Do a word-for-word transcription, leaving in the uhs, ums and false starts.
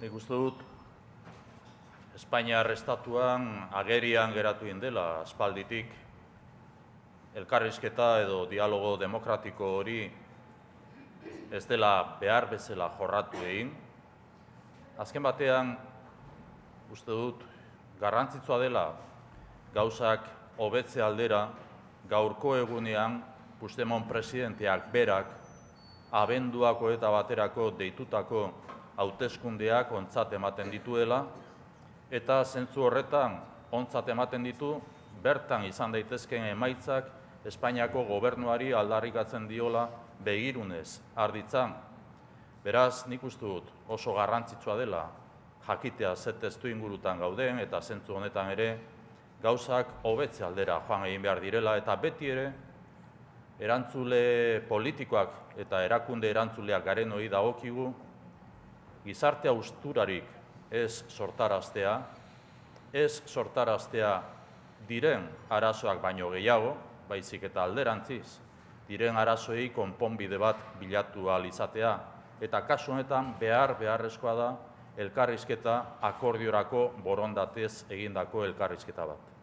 Nik uste dut, Espainiar estatuan agerian geratu dela aspalditik elkarrizketa edo dialogo demokratiko hori ez dela behar bezala jorratu egin. Azken batean, uste dut, garrantzitsua dela gauzak hobetze aldera gaurko egunean Puigdemont presidenteak berak abenduako eta baterako deitutako hauteskundeak ontzat ematen dituela, eta zentzu horretan ontzat ematen ditu bertan izan daitezkeen emaitzak Espainiako gobernuari aldarrikatzen diola begirunez arditzan. Beraz, nik uste dut oso garrantzitsua dela jakitea ze testu ingurutan gauden eta zentzu honetan ere gauzak hobetze aldera joan egin behar direla, eta beti ere erantzule politikoak eta erakunde erantzuleak garen hori dagokigu gizarte hausturarik ez sortaraztea, ez sortaraztea diren arazoak baino gehiago, baizik eta alderantziz, diren arazoei konponbide bat bilatu ahal izatea, eta kasu honetan behar beharrezkoa da elkarrizketa akordiorako borondatez egindako elkarrizketa bat.